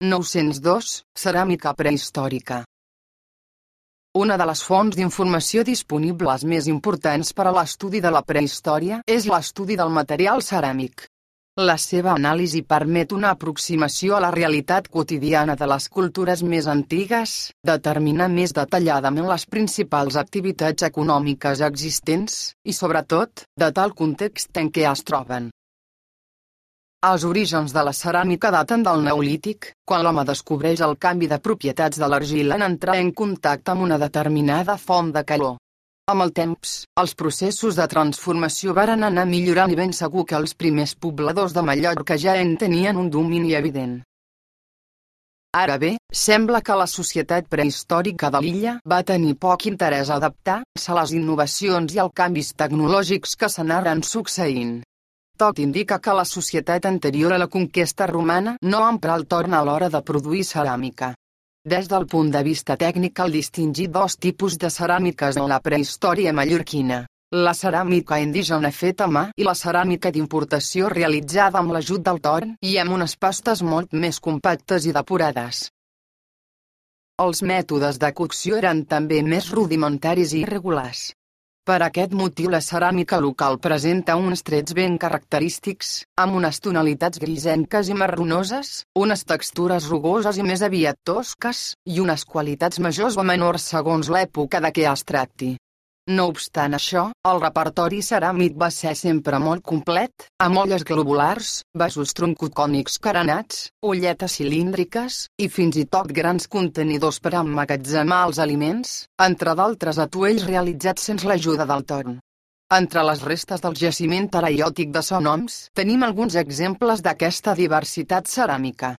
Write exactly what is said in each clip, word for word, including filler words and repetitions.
nou-cents dos, ceràmica prehistòrica. Una de les fonts d'informació disponibles més importants per a l'estudi de la prehistòria és l'estudi del material ceràmic. La seva anàlisi permet una aproximació a la realitat quotidiana de les cultures més antigues, determinar més detalladament les principals activitats econòmiques existents, i sobretot, datar el context en què es troben. Els orígens de la ceràmica daten del Neolític, quan l'home descobreix el canvi de propietats de l'argila en entrar en contacte amb una determinada font de calor. Amb el temps, els processos de transformació varen anar millorant i ben segur que els primers pobladors de Mallorca ja en tenien un domini evident. Ara bé, sembla que la societat prehistòrica de l'illa va tenir poc interès a adaptar-se a les innovacions i als canvis tecnològics que s'anaren succeint. Tot indica que la societat anterior a la conquesta romana no emprà el torn a l'hora de produir ceràmica. Des del punt de vista tècnic cal distingir dos tipus de ceràmiques en la prehistòria mallorquina: la ceràmica indígena feta a mà i la ceràmica d'importació realitzada amb l'ajut del torn i amb unes pastes molt més compactes i depurades. Els mètodes de cocció eren també més rudimentaris i irregulars. Per aquest motiu la ceràmica local presenta uns trets ben característics, amb unes tonalitats grisenques i marronoses, unes textures rugoses i més aviat tosques, i unes qualitats majors o menors segons l'època de què es tracti. No obstant això, el repertori ceràmic va ser sempre molt complet, amb olles globulars, vasos troncocònics carenats, olletes cilíndriques, i fins i tot grans contenidors per emmagatzemar els aliments, entre d'altres atuells realitzats sense l'ajuda del torn. Entre les restes del jaciment teraiòtic de Son Homs, tenim alguns exemples d'aquesta diversitat ceràmica.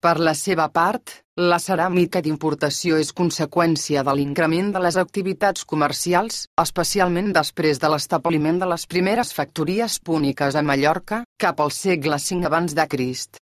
Per la seva part, la ceràmica d'importació és conseqüència de l'increment de les activitats comercials, especialment després de l'establiment de les primeres factories púniques a Mallorca, cap al segle cinc abans de Crist.